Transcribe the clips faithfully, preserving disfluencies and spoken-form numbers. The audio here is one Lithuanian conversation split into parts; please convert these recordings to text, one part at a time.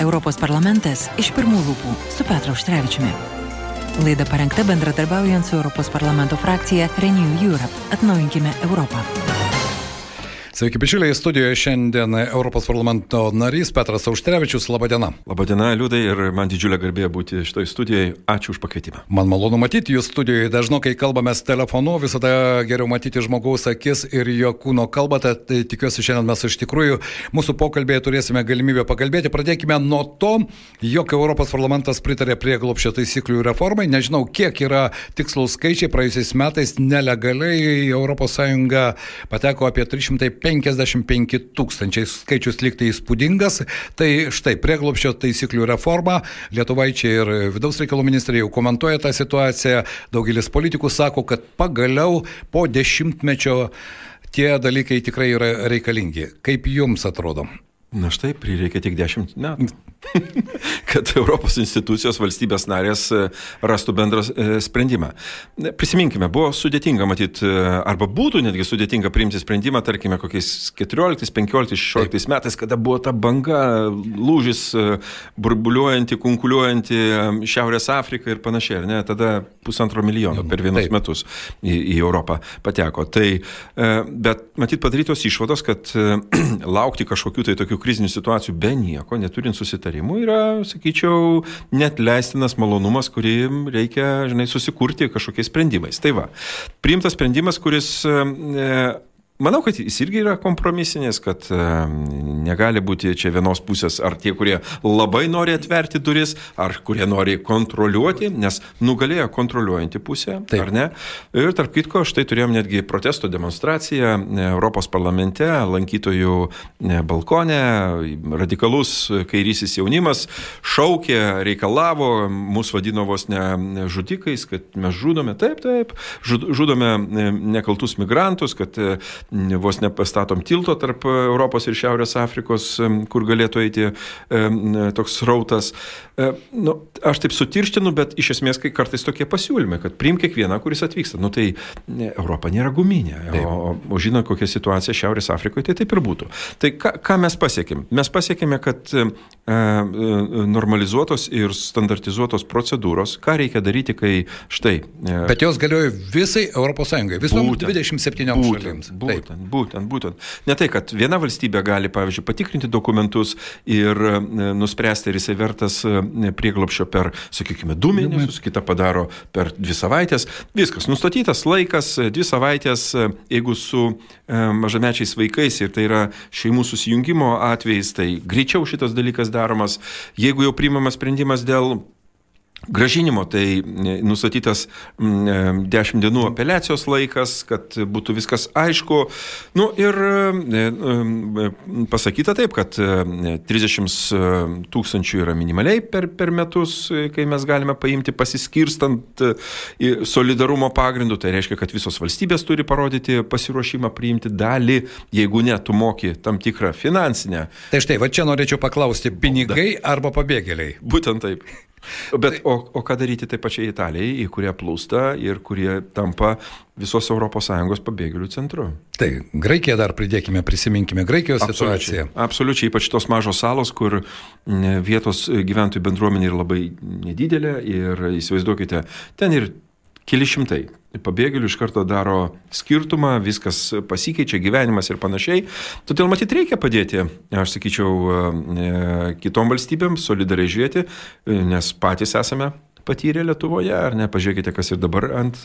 Europos parlamentas iš pirmų lūpų su Petru Auštrevičiumi. Laida parengta bendradarbiaujant su Europos parlamento frakcija Renew Europe. Atnaujinkime Europą. Sveiki, bičiuliai, studijoje šiandien Europos parlamento narys Petras Auštrevičius. Labadiena. Labadiena, Liudai, ir man didžiulė garbė būti šitoj studijoje. Ačiū už pakvietimą. Man malonu matyti jūs studijoje. Dažnokai kalbamės telefonu, visada geriau matyti žmogaus akis ir jo kūno kalbą. Tai tikiuosi, šiandien mes iš tikrųjų mūsų pokalbėje turėsime galimybę pakalbėti. Pradėkime nuo to, jog Europos parlamentas pritarė prieglobsčio taisyklių reformai. Nežinau, kiek yra tikslus skaičiai. Praėjusiais metais nelegaliai į Europos Sąjungą pateko apie trys šimtai penkiasdešimt penki tūkstančiai, skaičius lygtai įspūdingas. Tai štai prieglobsčio taisyklių reforma. Lietuvaičiai ir vidaus reikalų ministrai jau komentuoja tą situaciją. Daugelis politikų sako, kad pagaliau po dešimtmečio tie dalykai tikrai yra reikalingi. Kaip jums atrodo? Na štai, prireikia tik dešimt metų, kad Europos institucijos valstybės narės rastų bendrą sprendimą. Prisiminkime, buvo sudėtinga matyti, arba būtų netgi sudėtinga priimti sprendimą, tarkime, kokiais keturioliktais, penkioliktais, šešioliktais metais, kada buvo ta banga, lūžis, burbuliuojanti, kunkuliuojanti Šiaurės Afrika ir panašiai, ar ne? Tada pusantro milijono per vienus Taip. metus į, į Europą pateko. Tai, bet matyt padarytos išvados, kad laukti kažkokių tai tokių krizinių situacijų be nieko, neturint susitarimų, yra, sakyčiau, net leistinas malonumas, kurį reikia, žinai, susikurti kažkokiais sprendimais. Tai va, priimtas sprendimas, kuris, e, manau, kad jis irgi yra kompromisinės, kad e, negali būti čia vienos pusės ar tie, kurie labai nori atverti duris, ar kurie nori kontroliuoti, nes nugalėjo kontroliuojantį pusę, Taip. ar ne? Ir tarp kitko, štai turėjom netgi protesto demonstraciją Europos parlamente, lankytojų balkone, radikalus kairysis jaunimas šaukė, reikalavo, mus vadino vos ne žudikais, kad mes žudome, taip, taip, žudome nekaltus migrantus, kad vos nepastatom tilto tarp Europos ir Šiaurės Afrikos, kur galėtų eiti toks srautas. Nu, aš taip sutirštinu, bet iš esmės kai kartais tokie pasiūlymai, kad priim kiekvieną, kuris atvyksta. Nu tai Europa nėra guminė, o, o žinot, kokia situacija Šiaurės Afrikoje, tai taip ir būtų. Tai ką, ką mes pasiekėm? Mes pasiekėme, kad e, normalizuotos ir standartizuotos procedūros, ką reikia daryti, kai štai... E, bet jos galioja visai Europos Sąjungai, visom dvidešimt septynioms šalims. Būtent, būtent, būtent. Ne tai, kad viena valstybė gali, pavyzdžiui, patikrinti dokumentus ir nuspręsti, ar jisai vertas prieglobsčio per, sakykime, du mėnesius, kita padaro per dvi savaitės. Viskas, nustatytas laikas, dvi savaitės, jeigu su mažamečiais vaikais ir tai yra šeimų susijungimo atvejais, tai greičiau šitas dalykas daromas. Jeigu jau priimamas sprendimas dėl grąžinimo, tai nustatytas dešimt dienų apeliacijos laikas, kad būtų viskas aišku. Nu ir pasakyta taip, kad trisdešimt tūkstančių yra minimaliai per, per metus, kai mes galime paimti pasiskirstant solidarumo pagrindu. Tai reiškia, kad visos valstybės turi parodyti pasiruošimą priimti dalį, jeigu ne, tu moki tam tikrą finansinę. Tai štai, va čia norėčiau paklausti, pinigai arba pabėgėliai? Būtent taip. Bet o, o ką daryti taip pačiai Italijai, į kurią plūsta ir kurie tampa visos Europos Sąjungos pabėgėlių centru? Tai Graikija dar pridėkime, prisiminkime Graikijos absoliučiai, situaciją. Absoliučiai, ypač tos mažos salos, kur vietos gyventojų bendruomenė yra labai nedidelė ir įsivaizduokite, ten ir keli šimtai pabėgėlių iš karto daro skirtumą, viskas pasikeičia, gyvenimas ir panašiai. Todėl matyt reikia padėti, aš sakyčiau, kitom valstybėm solidariai žiūrėti, nes patys esame patyrę Lietuvoje, ar ne, pažiūrėkite, kas ir dabar ant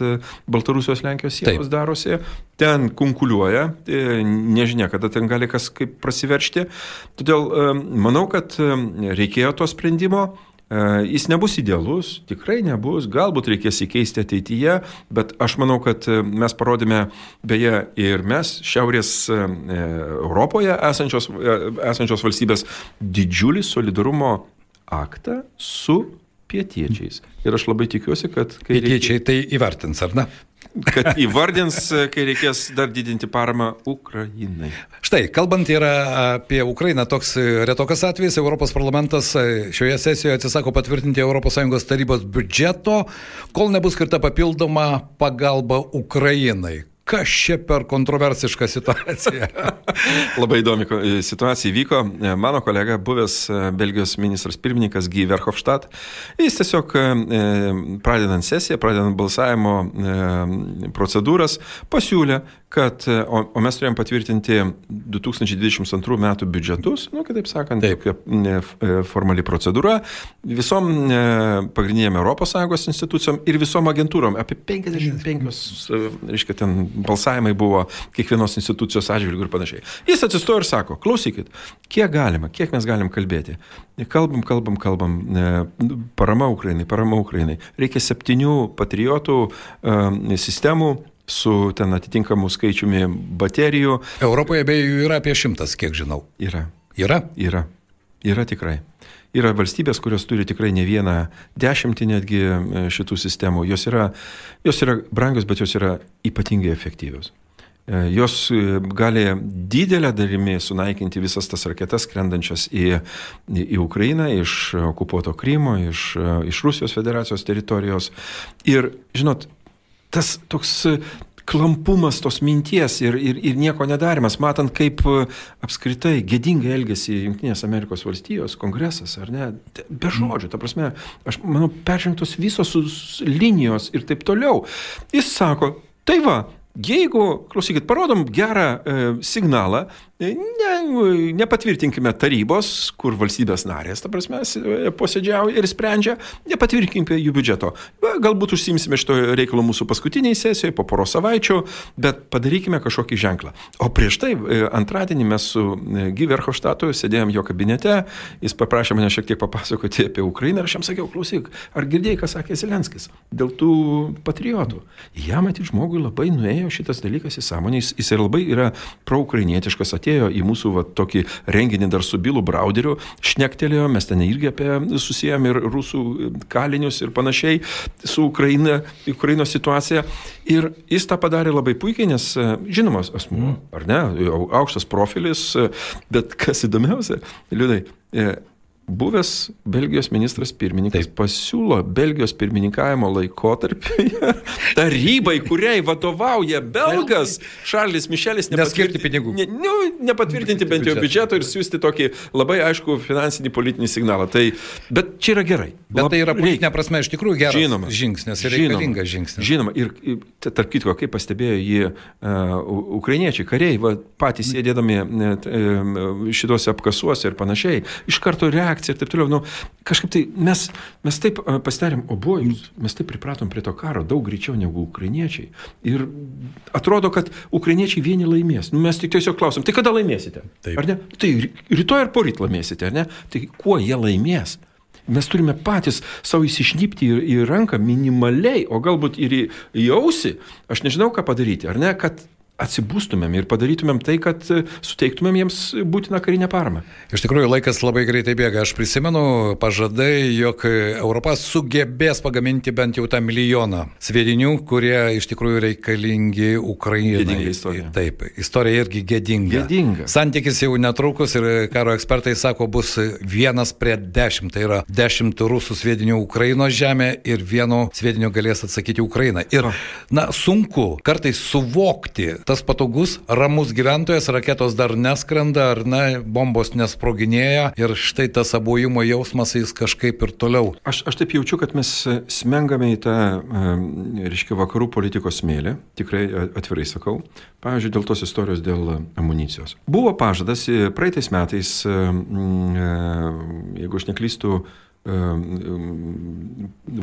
Baltarusijos Lenkijos sienos Taip. darosi. Ten kunkuliuoja, nežinia, kada ten gali kas kaip prasiveršti. Todėl manau, kad reikėjo to sprendimo. Jis nebus idealus, tikrai nebus, galbūt reikės įkeisti ateityje, bet aš manau, kad mes parodėme, beje, ir mes Šiaurės Europoje esančios, esančios valstybės didžiulį solidarumo aktą su pietiečiais. Ir aš labai tikiuosi, kad... Pietiečiai reikia... tai įvertins, ar ne? Kad įvardins, kai reikės dar didinti paramą Ukrainai. Štai, kalbant yra apie Ukrainą, toks retokas atvejis, Europos parlamentas šioje sesijoje atsisako patvirtinti Europos Sąjungos tarybos biudžeto, kol nebus skirta papildoma pagalba Ukrainai. kas čia per kontroversiška situacija? Labai įdomi situacija įvyko. Mano kolega, buvęs Belgijos ministras pirmininkas Guy Verhofstadt, jis tiesiog pradedant sesiją, pradedant balsavimo procedūras, pasiūlė, kad, o, o mes turėjom patvirtinti du tūkstančiai dvidešimt antrų metų biudžetus, nu, kitaip sakant, taip, formali procedūra, visom pagrindinėm Europos Sąjungos institucijom ir visom agentūrom, apie penkiasdešimt penkios, reiškia, ten balsavimai buvo kiekvienos institucijos atžvilgių ir panašiai. Jis atsistojo ir sako, klausykit, kiek galima, kiek mes galim kalbėti. Kalbam, kalbam, kalbam, parama Ukrainai, parama Ukrainai. Reikia septynių patriotų sistemų, su ten atitinkamų skaičiumi baterijų. Europoje beje jų yra apie šimtas, kiek žinau. Yra. Yra? Yra. Yra tikrai. Yra valstybės, kurios turi tikrai ne vieną dešimtį netgi šitų sistemų. Jos yra, jos yra brangios, bet jos yra ypatingai efektyvios. Jos gali didelę dalimi sunaikinti visas tas raketas skrendančias į, į Ukrainą iš okupuoto Krymo, iš, iš Rusijos federacijos teritorijos. Ir, žinot, tas toks klampumas tos minties ir, ir, ir nieko nedarimas, matant, kaip apskritai gėdingai elgėsi Jungtinės Amerikos valstijos, kongresas, ar ne, be žodžių, ta prasme, aš manau, peržengtos visos linijos ir taip toliau. Jis sako, tai va, jeigu, klausykit, parodom gerą e, signalą, ne, nepatvirtinkime tarybos, kur valstybės narės, ta prasme, posėdžiauja ir sprendžia, nepatvirtinkime jų biudžeto. Galbūt užsimsime šito reikalo mūsų paskutiniai sesijoje, po poros savaičių, bet padarykime kažkokį ženklą. O prieš tai, antradienį mes su Guy Verhofstadtu sėdėjom jo kabinete, jis paprašė mane šiek tiek papasakoti apie Ukrainą ir aš jam sakiau, klausyk, ar girdėjai, ką sakė Zelenskis dėl tų patriotų? Jam matyti žmogui labai nuėjo šitas dalykas į sąmonę, jis, jis labai yra proukrainietiškas, atėjo į mūsų va, tokį renginį dar su Bilu Brauderiu, šnektelėjo, mes ten irgi apie susijėm ir rusų kalinius ir panašiai su Ukraina, Ukrainos situacija. Ir jis tą padarė labai puikiai, nes žinomas asmuo, ar ne, aukštas profilis, bet kas įdomiausia, Liudai, buvęs Belgijos ministras pirmininkas Taip. pasiūlo Belgijos pirmininkavimo laikotarpyje tarybai, kuriai vadovauja belgas Šarlis Mišelis, neskirti pinigų. Ne, ne, nepatvirtinti bent jau biudžeto ir siūsti tokį labai aišku finansinį politinį signalą. Tai, bet čia yra gerai. Bet Lab, tai yra politinė prasme iš tikrųjų geras žinoma, žingsnis ir žinoma, reikalingas žingsnis. Žinoma, ir tarp kitko, kaip pastebėjo jį uh, ukrainiečiai, kariai, va, patys sėdėdami uh, šituose apkasuose ir panašiai, iš karto reakcija ir taip toliau. Nu, kažkaip tai mes, mes taip uh, pasidarėm obojus, mes taip pripratom prie to karo daug greičiau negu ukrainiečiai. Ir atrodo, kad ukrainiečiai vieni laimės. Nu, mes tik tiesiog klausom, tai kada laimėsite? Taip. Ar ne? Tai rytoj ar poryt laimėsite, ar ne? Tai kuo jie laimės? Mes turime patys savo įsišnipti į, į ranką minimaliai, o galbūt ir į, į ausį, aš nežinau, ką padaryti, ar ne, kad atsibūstumėm ir padarytumėm tai, kad suteiktumėm jiems būtiną karinę paramą. Iš tikrųjų, laikas labai greitai bėga. Aš prisimenu pažadai, jog Europa sugebės pagaminti bent jau tą milijoną sviedinių, kurie iš tikrųjų reikalingi Ukrainai. Gėdinga istorija. Taip, istorija irgi gėdinga. Gėdinga. Santykis jau netrukus ir karo ekspertai sako, bus vienas prie dešimt. Tai yra dešimt rusų sviedinių Ukrainos žemė ir vieno sviedinio galės atsakyti Ukraina. Ir, na, sunku kartais suvokti, tas patogus, ramus gyventojas, raketos dar neskrenda, ar ne, bombos nesproginėja ir štai tas abojimo jausmas jis kažkaip ir toliau. Aš, aš taip jaučiu, kad mes smengame į tą, reiškia, vakarų politikos smėlį, tikrai atvirai sakau, pavyzdžiui, dėl tos istorijos dėl amunicijos. Buvo pažadas praeitais metais, jeigu aš neklystu,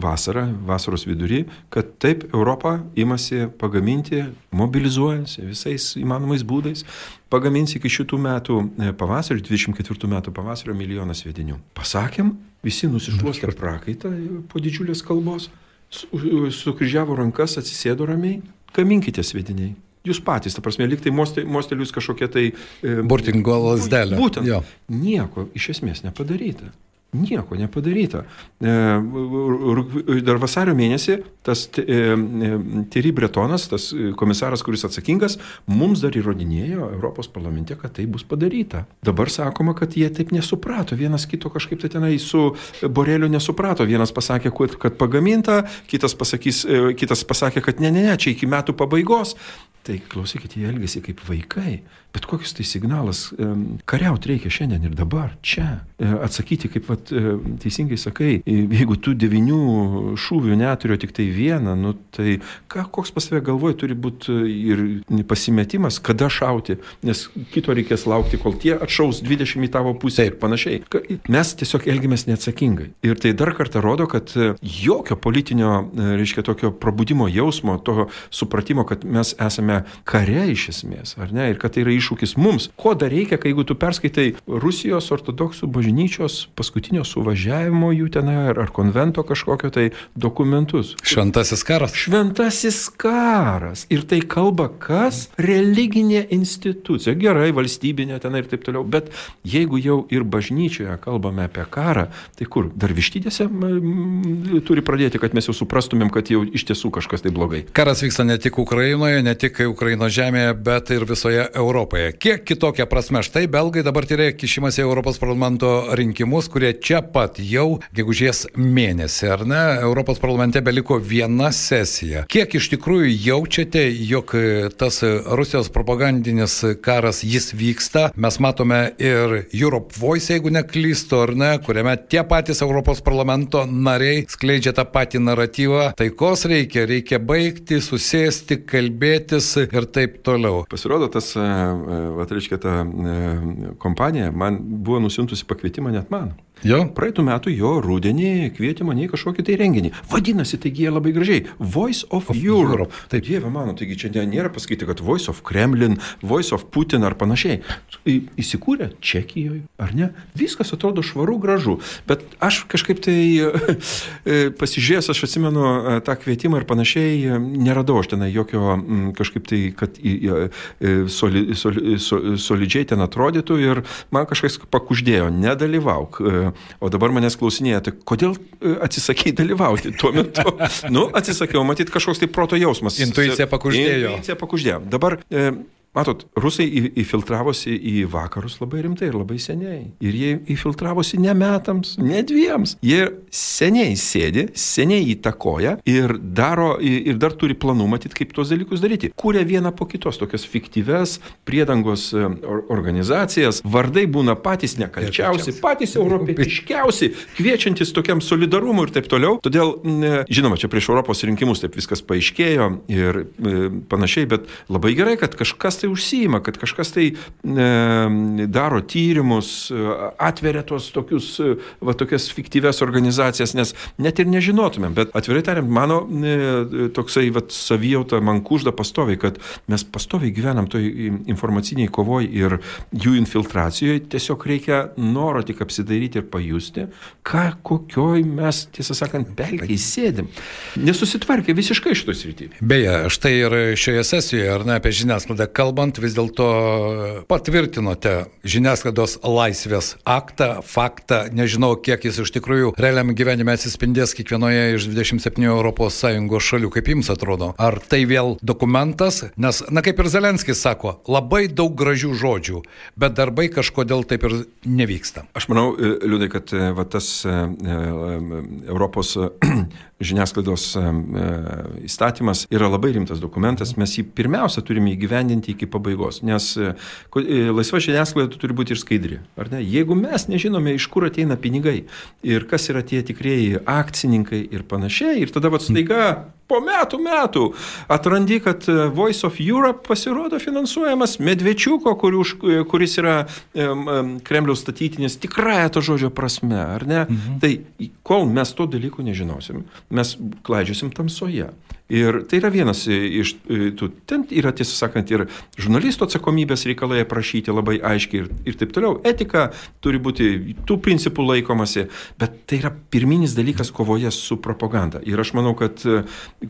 vasarą, vasaros vidury, kad taip Europa imasi pagaminti, mobilizuojasi visais įmanomais būdais, pagamins iki šitų metų pavasario, dvidešimt ketvirtų metų pavasario milijoną sviedinių. Pasakėm, visi nusišluostė prakaitą po didžiulės kalbos, sukryžiavo rankas, atsisėdo ramiai, gaminkite sviediniai. Jūs patys, ta prasme, lyg tai mostelius kažkokie tai... Burtingo lasdelė. Būtent. Jo. Nieko iš esmės nepadaryta. Nieko nepadaryta. Dar vasario mėnesį tas Thierry Bretonas, tas komisaras, kuris atsakingas, mums dar įrodinėjo Europos parlamente, kad tai bus padaryta. Dabar sakoma, kad jie taip nesuprato. Vienas kito kažkaip tai tenai su Boreliu nesuprato. Vienas pasakė, kad pagaminta, kitas, pasakys, kitas pasakė, kad ne, ne, ne, čia iki metų pabaigos. Tai klausykit, jie elgėsi kaip vaikai. Bet kokius tai signalas, kariaut reikia šiandien ir dabar, čia. Atsakyti, kaip vat, teisingai sakai, jeigu tu devinių šūvių neturiu tik tai vieną, nu tai ką, koks pas tave galvoje turi būti ir pasimetimas, kada šauti, nes kito reikės laukti, kol tie atšaus dvidešimt į tavo pusę ir panašiai. Mes tiesiog elgiamės neatsakingai. Ir tai dar kartą rodo, kad jokio politinio, reiškia, tokio probudimo jausmo, to supratimo, kad mes esame kare iš esmės, ar ne, ir kad tai yra iššūkis mums. Ko dar reikia, kai jeigu tu perskaitai Rusijos ortodoksų bažnyčios paskutinio suvažiavimo jų tenai ar, ar konvento kažkokio tai dokumentus. Šventasis karas. Šventasis karas. Ir tai kalba kas? Religinė institucija. Gerai, valstybinė tenai ir taip toliau. Bet jeigu jau ir bažnyčioje kalbame apie karą, tai kur? Dar vištydėse turi pradėti, kad mes jau suprastumėm, kad jau iš tiesų kažkas tai blogai. Karas vyksta ne tik Ukrainoje, ne tik Ukrainos žemėje, bet ir visoje Europoje. Kiek kitokia prasme, štai belgai dabar tyrė kišimas į Europos parlamento rinkimus, kurie čia pat jau gegužės mėnesį, ar ne? Europos parlamente beliko viena sesija. Kiek iš tikrųjų jaučiate, jog tas Rusijos propagandinis karas jis vyksta? Mes matome ir Europe Voice, jeigu neklystu, ar ne, kuriame tie patys Europos parlamento nariai skleidžia tą patį naratyvą. Taikos reikia, reikia baigti, susėsti, kalbėtis ir taip toliau. Pasirodo, tas, va, reiškia, ta kompanija man buvo nusiuntusi pakvietimą net man. Jo? Praeitų metų jo rudenį kvietė mane į kažkokį tai renginį. Vadinasi, taigi jie labai gražiai. Voice of, of Europe. Europe. Taip, dieve mano, taigi čia nėra pasakyti, kad Voice of Kremlin, Voice of Putin ar panašiai. Įsikūrė Čekijoje, ar ne? Viskas atrodo švaru, gražu. Bet aš kažkaip tai pasižiūrėjęs, aš atsimenu tą kvietimą ir panašiai, neradau aš tenai jokio kažkaip tai, kad soli, soli, solidžiai ten atrodytų ir man kažkas pakuždėjo, nedalyvauk. O dabar manęs klausinėja, tai kodėl atsisakei dalyvauti tuo metu? Nu, atsisakiau, matyt, kažkoks tai proto jausmas. Intuicija pakuždėjo. Intuicija pakuždėjo. Dabar... E, Matot, rusai įfiltravosi į vakarus labai rimtai ir labai seniai. Ir jie įfiltravosi ne metams, ne dviems. Jie seniai sėdi, seniai įtakoja ir daro, ir dar turi planų matyti, kaip tuos dalykus daryti. Kūrė vieną po kitos tokias fiktyves priedangos organizacijas. Vardai būna patys nekalčiausi, patys europietiškiausi, kviečiantis tokiam solidarumui ir taip toliau. Todėl, žinoma, čia prieš Europos rinkimus taip viskas paaiškėjo ir panašiai, bet labai gerai, kad kažkas tai užsiima, kad kažkas tai e, daro tyrimus, atveria tuos tokius, va, tokias fiktyves organizacijas, nes net ir nežinotumėm. Bet atvirai tariant, mano e, toksai va, savijauta man kužda pastoviai, kad mes pastoviai gyvenam toj informaciniai kovoj ir jų infiltracijoje. Tiesiog reikia noro tik apsidairyti ir pajusti, ką, kokioj mes, tiesą sakant, pelkiai sėdim. Nesusitvarkė visiškai šitoj srityje. Beje, štai ir šioje sesijoje, ar ne, apie žiniasklaidą kalbant, vis dėlto patvirtinote žiniasklaidos laisvės aktą, faktą, nežinau, kiek jis iš tikrųjų realiam gyvenime atsispindės kiekvienoje iš dvidešimt septynių Europos Sąjungos šalių. Kaip jums atrodo? Ar tai vėl dokumentas? Nes, na kaip ir Zelenskis sako, labai daug gražių žodžių, bet darbai kažkodėl taip ir nevyksta. Aš manau, Liudai, kad va, tas Europos žiniasklaidos įstatymas yra labai rimtas dokumentas. Mes jį pirmiausia turime įgyvendinti iki pabaigos, nes laisva žiniasklaida turi būti ir skaidri. Ar ne? Jeigu mes nežinome, iš kur ateina pinigai ir kas yra tie tikrieji akcininkai ir panašiai, ir tada vat staiga po metų metų atrandi, kad Voice of Europe pasirodo finansuojamas Medvečiuko, kuris yra Kremliaus statytinis tikrąją to žodžio prasme, ar ne? Mhm. Tai kol mes to dalykų nežinosim, mes klaidžiosim tamsoje. Ir tai yra vienas iš tų, ten yra, tiesą sakant, ir žurnalisto atsakomybės reikalai aprašyti labai aiškiai ir, ir taip toliau. Etika turi būti tų principų laikomasi, bet tai yra pirminis dalykas kovoje su propaganda. Ir aš manau, kad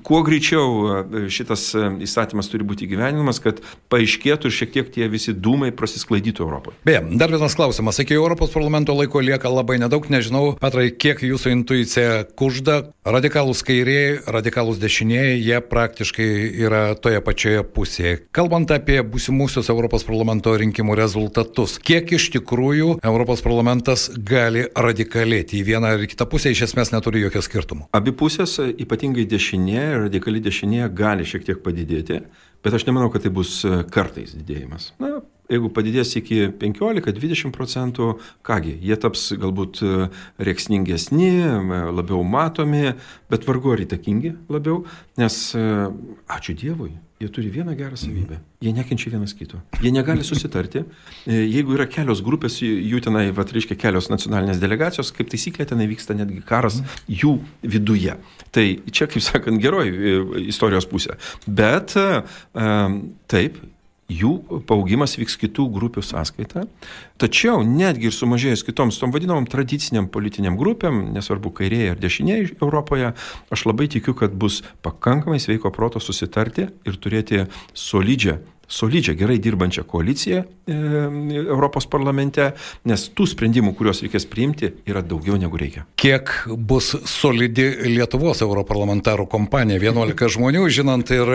kuo greičiau šitas įstatymas turi būti įgyvenimas, kad paaiškėtų ir šiek tiek tie visi dūmai prasisklaidytų Europoje. Beje, dar vienas klausimas. Iki Europos parlamento laiko lieka labai nedaug. Nežinau, Petrai, kiek jūsų intuicija kužda. Radikalūs kairieji, radikalūs dešinieji, jie praktiškai yra toje pačioje pusėje. Kalbant apie būsimusius Europos parlamento rinkimų rezultatus, kiek iš tikrųjų Europos parlamentas gali radikalėti į vieną ar kitą pusę, iš esmės neturi jokio skirtumo. Abi pusės, ypatingai dešinė, radikali dešinė, gali šiek tiek padidėti, bet aš nemanau, kad tai bus kartais didėjimas. Na, jeigu padidės iki penkiolika dvidešimt procentų, kągi, jie taps galbūt rėksningesni, labiau matomi, bet vargu ar įtakingi labiau, nes, ačiū Dievui, jie turi vieną gerą savybę. Jie nekenčia vienas kito. Jie negali susitarti. Jeigu yra kelios grupės, jų tenai, vat, reiškia, kelios nacionalinės delegacijos, kaip taisyklė, tenai vyksta netgi karas jų viduje. Tai čia, kaip sakant, geroji istorijos pusė. Bet taip, jų paaugimas vyks kitų grupių sąskaita, tačiau netgi ir sumažėjus kitoms, tom vadinamom tradiciniam politiniam grupėm, nesvarbu kairieji ar dešiniai Europoje, aš labai tikiu, kad bus pakankamai sveiko proto susitarti ir turėti solidžią, solidžią, gerai dirbančią koaliciją e, Europos parlamente, nes tų sprendimų, kuriuos reikės priimti, yra daugiau negu reikia. Kiek bus solidi Lietuvos europarlamentarų kompanija? vienuolika žmonių, žinant ir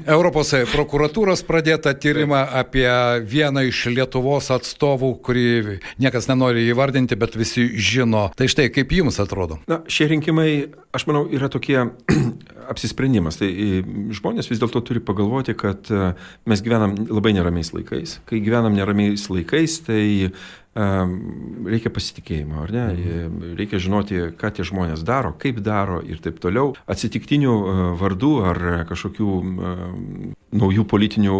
Europos prokuratūros pradėtą tyrimą apie vieną iš Lietuvos atstovų, kurį niekas nenori įvardinti, bet visi žino. Tai štai, kaip jums atrodo? Na, šie rinkimai, aš manau, yra tokie apsisprendimas. Tai žmonės vis dėlto turi pagalvoti, kad mes gyvenam labai neramiais laikais. Kai gyvenam neramiais laikais, tai reikia pasitikėjimo, ar ne? Reikia žinoti, ką tie žmonės daro, kaip daro ir taip toliau. Atsitiktinių vardų ar kažkokių naujų politinių,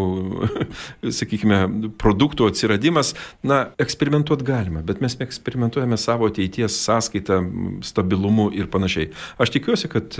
sakykime, produktų atsiradimas, na, eksperimentuoti galima, bet mes eksperimentuojame savo ateities sąskaitą, stabilumu ir panašiai. Aš tikiuosi, kad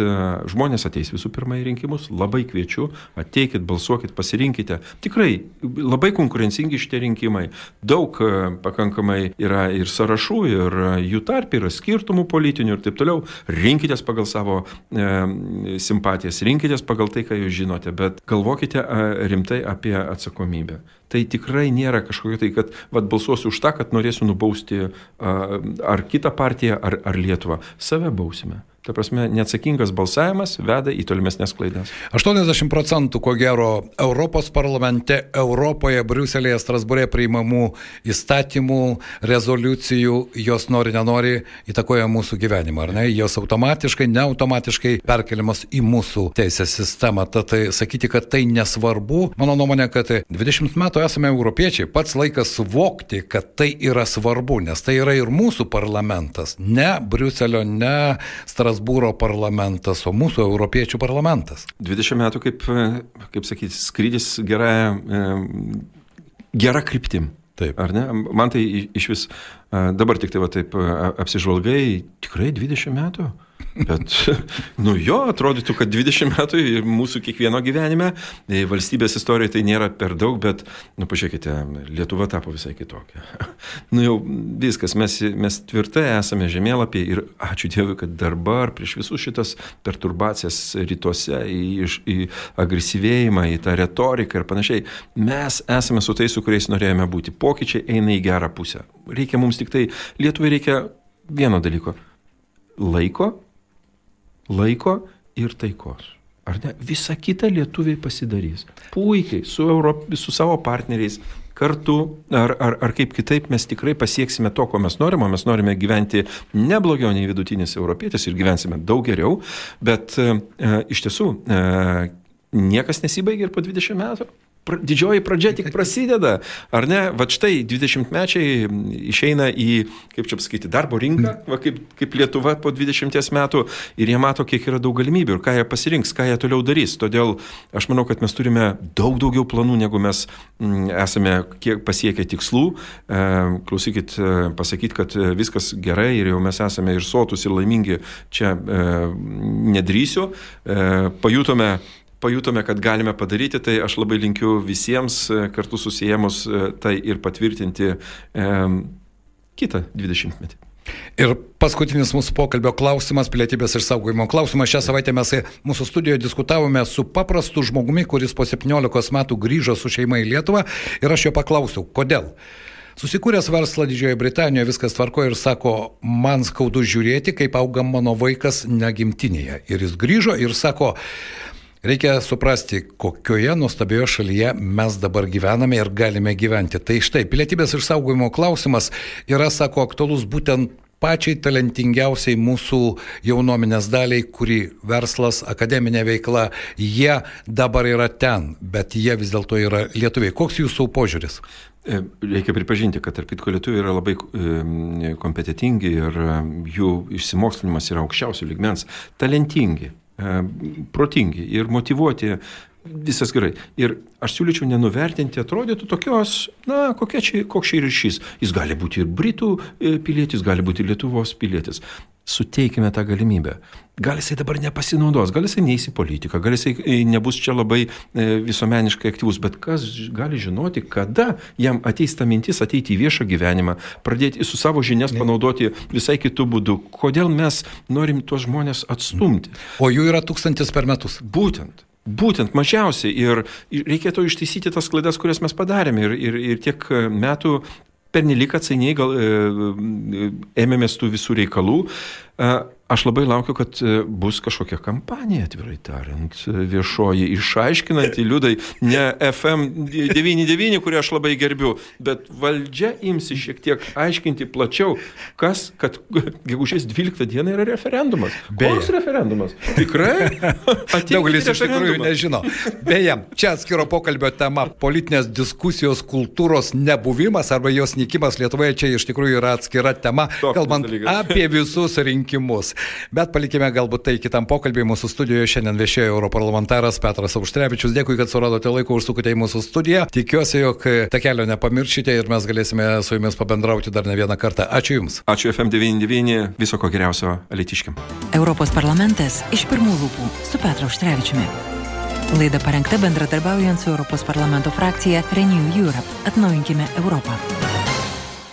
žmonės ateis visų pirma į rinkimus, labai kviečiu, ateikit, balsuokit, pasirinkite. Tikrai labai konkurencingi šitie rinkimai, daug pakankamai yra ir sąrašų, ir jų tarp yra skirtumų politinių ir taip toliau. Rinkitės pagal savo e, simpatijas, rinkitės pagal tai, ką jūs žinote, bet galvokite rimtai apie atsakomybę. Tai tikrai nėra kažkokio tai, kad vat, balsuosiu už tą, kad norėsiu nubausti ar kitą partiją, ar, ar Lietuvą. Save bausime. Ta prasme, neatsakingas balsavimas veda į tolimesnės klaidas. aštuoniasdešimt procentų, ko gero, Europos parlamente, Europoje, Briuselėje, Strasbūre priimamų įstatymų, rezoliucijų, jos nori, nenori, įtakoja mūsų gyvenimą, ar ne? Jos automatiškai, neautomatiškai perkeliamas į mūsų teisės sistemą. Tad tai sakyti, kad tai nesvarbu, mano nuomonė, kad dvidešimt metų esame europiečiai, pats laikas suvokti, kad tai yra svarbu, nes tai yra ir mūsų parlamentas, ne Briuselio, ne Strasbūro Strasbūro parlamentas, o mūsų europiečių parlamentas. dvidešimt metų, kaip, kaip sakyti, skrydis gera, gera kryptim. Taip. Ar ne? Man tai iš vis, dabar tik tai va taip apsižvalgai, tikrai dvidešimt metų. Bet, nu jo, atrodytų, kad dvidešimt metų ir mūsų kiekvieno gyvenime, valstybės istorijoje tai nėra per daug, bet, nu pažiūrėkite, Lietuva tapo visai kitokia. Nu jau viskas, mes, mes tvirtai esame žemėlapį ir ačiū Dievui, kad dabar prieš visus šitas perturbacijas rytuose, į, į agresyvėjimą, į tą retoriką ir panašiai, mes esame su tais, su kuriais norėjome būti. Pokyčiai eina į gerą pusę. Reikia mums tik tai, Lietuvai reikia vieno dalyko. Laiko, laiko ir taikos. Ar ne? Visa kita lietuviai pasidarys. Puikiai, su, Europ, su savo partneriais, kartu, ar, ar, ar kaip kitaip mes tikrai pasieksime to, ko mes norime. Mes norime gyventi ne blogiau nei vidutinis europietis ir gyvensime daug geriau, bet e, iš tiesų e, niekas nesibaigia ir po dvidešimt metų. Didžioji pradžia tik prasideda, ar ne? Va štai dvidešimtmečiai išeina į, kaip čia pasakyti, darbo rinką, va, kaip, kaip Lietuva po dvidešimties metų ir jie mato, kiek yra daug galimybių ir ką jie pasirinks, ką jie toliau darys. Todėl aš manau, kad mes turime daug daugiau planų, negu mes m, esame kiek pasiekę tikslų. E, klausykit, pasakyti, kad viskas gerai ir jau mes esame ir sotus, ir laimingi, čia e, nedrįsiu. E, pajutome Pajutome, kad galime padaryti, tai aš labai linkiu visiems kartu susijėmus tai ir patvirtinti e, kitą dvidešimtmetį. Ir paskutinis mūsų pokalbio klausimas, pilietybės išsaugojimo klausimas. Šią savaitę mes mūsų studijoje diskutavome su paprastu žmogumi, kuris po septyniolikos metų grįžo su šeima į Lietuvą ir aš jo paklausiau, kodėl. Susikūręs verslą Didžiojoje Britanijoje, viskas tvarko ir sako, man skaudu žiūrėti, kaip auga mano vaikas negimtinėje. Ir jis grįžo ir sako, reikia suprasti, kokioje nuostabioje šalyje mes dabar gyvename ir galime gyventi. Tai štai, pilietybės išsaugojimo klausimas yra, sako, aktualus būtent pačiai talentingiausiai mūsų jaunuomenės daliai, kuri verslas, akademinė veikla, jie dabar yra ten, bet jie vis dėlto yra lietuviai. Koks jūsų požiūris? Reikia pripažinti, kad tarp kitko lietuviai yra labai kompetitingi ir jų išsimokslinimas yra aukščiausių lygmens, talentingi, protingi ir motyvuoti, visas gerai. Ir aš siūlyčiau nenuvertinti, atrodytų tokios, na, kokia čia, koks čia ryšys. Jis gali būti ir Britų pilietis, gali būti ir Lietuvos pilietis. Suteikime tą galimybę. Gal jisai dabar nepasinaudos, gal jisai neįs į politiką, gal jisai nebus čia labai visuomeniškai aktyvus, bet kas gali žinoti, kada jam ateis ta mintis ateiti į viešą gyvenimą, pradėti su savo žinias panaudoti visai kitų būdų. Kodėl mes norim tuos žmonės atstumti? O jų yra tūkstantis per metus. Būtent. Būtent mažiausiai ir reikėtų ištaisyti tas klaidas, kurias mes padarėme ir, ir, ir tiek metų pernelyg atsainiai gal e, ėmėmės tų visų reikalų. E, aš labai laukiu, kad bus kažkokia kampanija, atvirai tariant, viešoji, išaiškinanti liudai, ne F M devyni devyni, kurį aš labai gerbiu, bet valdžia imsi šiek tiek aiškinti plačiau, kas, kad gegužės dvyliktą dieną yra referendumas. Beje. Koks referendumas? Tikrai? Daugelis iš tikrųjų nežino. Beje, čia atskiro pokalbio tema politinės diskusijos kultūros nebuvimas arba jos nykimas Lietuvoje, čia iš tikrųjų yra atskira tema, Toks kalbant dalykas. apie visus rinkimus. Bet palikime galbūt tai kitam pokalbiai. Mūsų studijoje šiandien viešėjo europarlamentaras Petras Auštrevičius. Dėkui, kad suradote laiko, užsukote į mūsų studiją. Tikiuosi, jog tą kelio nepamiršite ir mes galėsime su jumis pabendrauti dar ne vieną kartą. Ačiū Jums. Ačiū F M devyni devyni, viso ko geriausio alytiškiam. Europos parlamentas iš pirmų lūpų su Petru Auštrevičiumi. Laida parengta bendradarbiaujant su Europos parlamento frakcija Renew Europe. Atnaujinkime Europą.